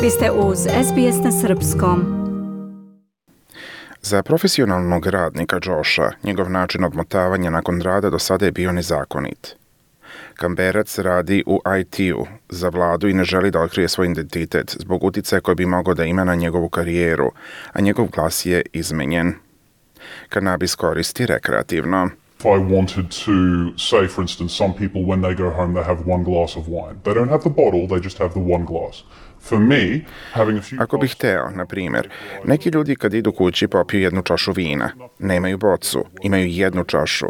Vi ste uz SBS na srpskom. Za profesionalnog radnika Josha, njegov način odmotavanja nakon rada do sada je bio nezakonit. Kamberac radi u IT-u za vladu i ne želi da otkrije svoj identitet zbog uticaja koji bi mogao da ima na njegovu karijeru, a njegov glas je izmenjen. Kanabis koristi rekreativno. If I wanted to say, for instance, some people when they go home they have one glass of wine. They don't have the bottle, they just have the one glass. For me, having a few Ako bih hteo, na primjer, neki ljudi kad idu kući popiju jednu čašu vina. Nemaju bocu, imaju jednu čašu.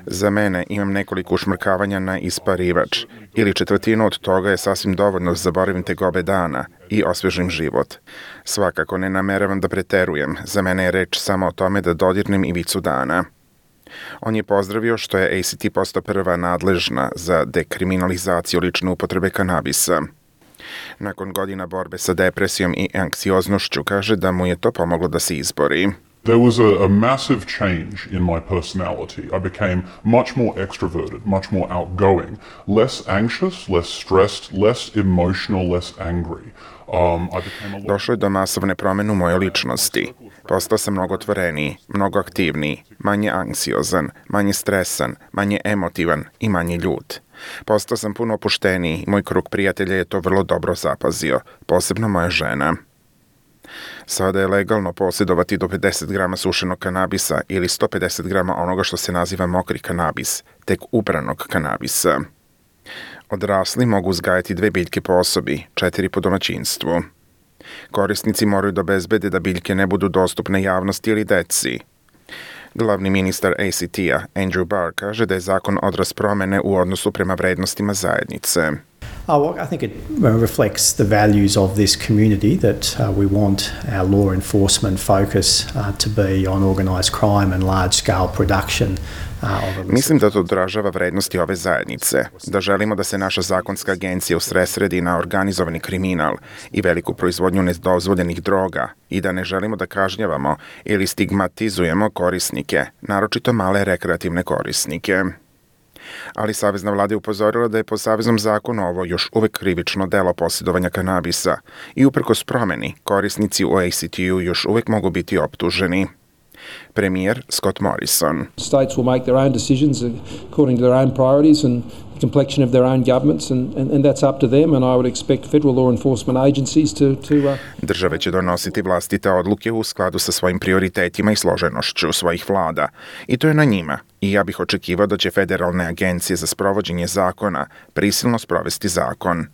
Za mene imam nekoliko ušmrkavanja na isparivač. Ili četvrtinu od toga je sasvim dovoljno da zaboravim tegobe dana i osvežim život. Svakako ne nameravam da preterujem. Za mene je reč samo o tome da dodirnem ivicu dana. On je pozdravio što je ACT postao prva nadležna za dekriminalizaciju lične upotrebe kanabisa. Nakon godina borbe sa depresijom i anksioznošću kaže da mu je to pomoglo da se izbori. There was a massive change in my personality. I became much more extroverted, much more outgoing, less anxious, less stressed, less emotional, less angry. Došlo je do masovne promjene u mojoj ličnosti. Postao sam mnogo otvoreniji, mnogo aktivniji, manje anksiozan, manje stresan, manje emotivan i manje ljut. Postao sam puno opušteniji i moj krug prijatelja je to vrlo dobro zapazio, posebno moja žena. Sada je legalno posjedovati do 50 grama sušenog kanabisa ili 150 grama onoga što se naziva mokri kanabis, tek ubranog kanabisa. Odrasli mogu uzgajati 2 biljke po osobi, 4 po domaćinstvu. Korisnici moraju da obezbede da biljke ne budu dostupne javnosti ili deci. Glavni ministar ACT-a, Andrew Barr, kaže da je zakon odraz promene u odnosu prema vrednostima zajednice. I think it reflects the values of this community that we want our law enforcement focus to be on organised crime and large-scale production. Mislim da to odražava vrednosti ove zajednice, da želimo da se naša zakonska agencija usredsredi na organizovani kriminal i veliku proizvodnju nedozvoljenih droga i da ne želimo da kažnjavamo ili stigmatizujemo korisnike, naročito male rekreativne korisnike. Ali savezna vlada je upozorila da je po saveznom zakonu ovo još uvek krivično delo posjedovanja kanabisa i uprkos promeni korisnici u ACT-u još uvek mogu biti optuženi. Premijer Scott Morrison. States will make their own decisions according to their own priorities and the complexion of their own governments and that's up to them and I would expect federal law enforcement agencies to Države će donositi vlastite odluke u skladu sa svojim prioritetima i složenošću svojih vlada i to je na njima. I ja bih očekivao da će federalne agencije za sprovođenje zakona prisilno sprovesti zakon.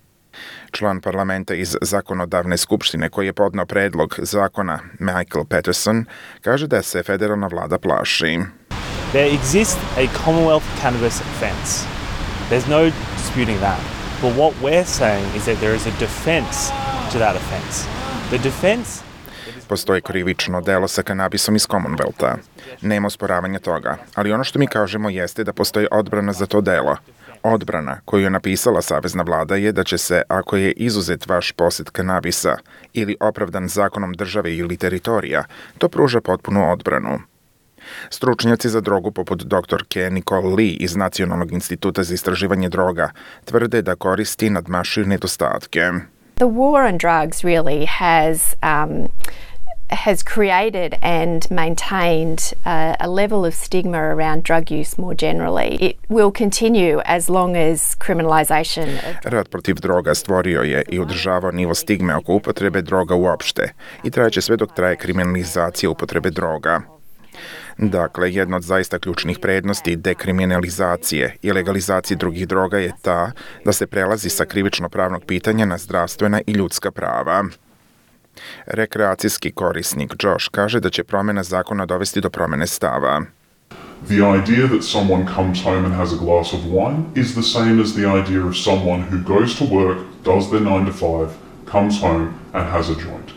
Član parlamenta iz zakonodavne skupštine koji je podneo predlog zakona, Michael Patterson, kaže da se federalna vlada plaši. There exists a Commonwealth cannabis offence. There's no disputing that. But what we're saying is that there is a defence to that offence. The defence... Postoji krivično delo sa kanabisom iz Commonwealtha. Nema osporavanja toga, ali ono što mi kažemo jeste da postoji odbrana za to delo. Odbrana koju je napisala savezna vlada je da će se, ako je izuzet vaš posjed kanabisa ili opravdan zakonom države ili teritorija, to pruža potpunu odbranu. Stručnjaci za drogu poput doktorke Nicole Lee iz Nacionalnog instituta za istraživanje droga tvrde da koristi nadmašuju nedostatke. The war on drugs really has created and maintained a level of stigma around drug use more generally. It will continue as long as criminalisation of... Rat protiv droga stvorio je i održavao nivo stigme oko upotrebe droga uopšte i trajeće sve dok traje kriminalizacija upotrebe droga. Dakle, jedna od zaista ključnih prednosti dekriminalizacije i legalizacije drugih droga je ta da se prelazi sa krivično-pravnog pitanja na zdravstvena i ljudska prava. Rekreacijski korisnik Josh kaže da će promjena zakona dovesti do promjene stava. The idea that someone comes home and has a glass of wine is the same as the idea of someone who goes to work, does their 9 to 5, comes home and has a joint.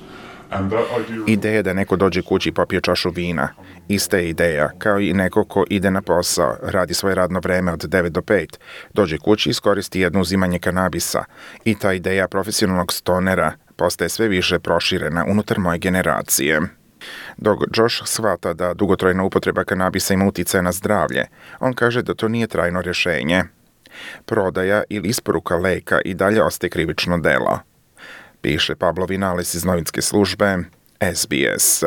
Ideja da neko dođe kući i popije čašu vina, ista je ideja kao i neko ko ide na posao, radi svoje radno vreme od 9 do 5, dođe kući i iskoristi jedno uzimanje kanabisa i ta ideja profesionalnog stonera postaje sve više proširena unutar moje generacije. Dok Josh shvata da dugotrajna upotreba kanabisa ima uticaja na zdravlje, on kaže da to nije trajno rješenje. Prodaja ili isporuka leka i dalje ostaje krivično delo. piše Pablo Vinales iz novinske službe SBS.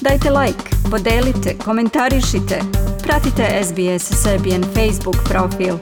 Dajte like, podelite, komentarišite. Pratite SBS Serbian Facebook profil.